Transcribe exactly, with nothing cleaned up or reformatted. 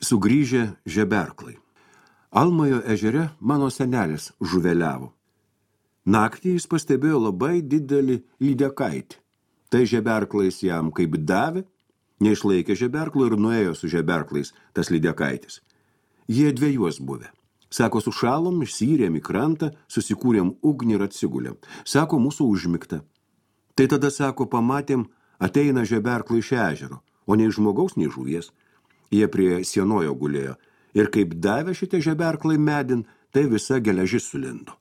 Sugrįžę žeberklai. Almajo ežere mano senelis žuveliavo. Naktį jis pastebėjo labai didelį lydekaitį. Tai žeberklais jam kaip davė, neišlaikė žeberklų ir nuėjo su žeberklais tas lydekaitis. Jie dviejos buvę. Sako, sušalom, išsyrėm į krantą, susikūrėm ugnį ir atsigulėm. Sako, mūsų užmigta. Tai tada, sako, pamatėm, ateina žeberklai iš ežero, o nei žmogaus, nei žuvies. Jie prie sienojo gulėjo. Ir kaip davė šitie žeberklai medin, tai visa geležis sulindo.